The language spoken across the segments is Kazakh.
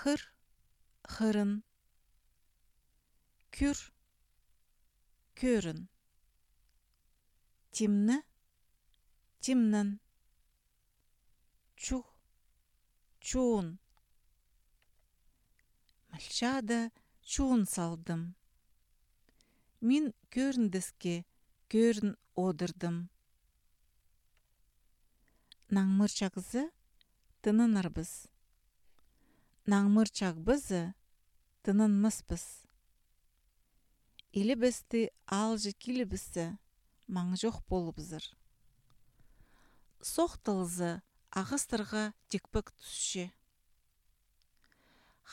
хыр, хырын, күр, көрін, тимні, тимнін, чух, чуын. Мальчада чуын салдым. Мин көріндіске көрін одырдым. Наңмырчағызы тынынырбыз. Наңмырчағбызы тынынмыспыз. Илі бісті алжы килібісі маң жоқ болыбызыр. Соқтылызы ағыстырға текпік түсше.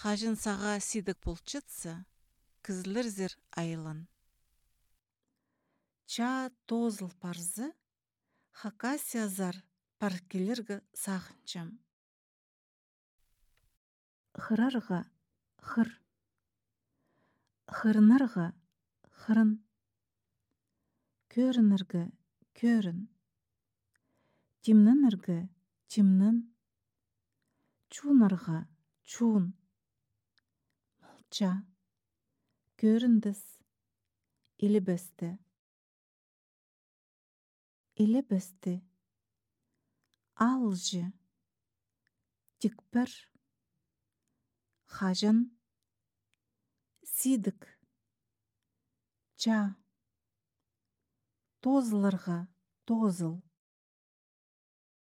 Хажын саға сидік болчытсы, кізлірзір айылын. Ча тозыл парзы, хакасиязар паркелергі сағынчам. Хырарға хыр, хырынарға хырын, көрініргі көрін, тимнініргі тимнін, чунарға чун, молча, көріндіс, илібісті. Илібісті, алжы, тікпір, хажын, сидік, ча, тозыларға тозыл.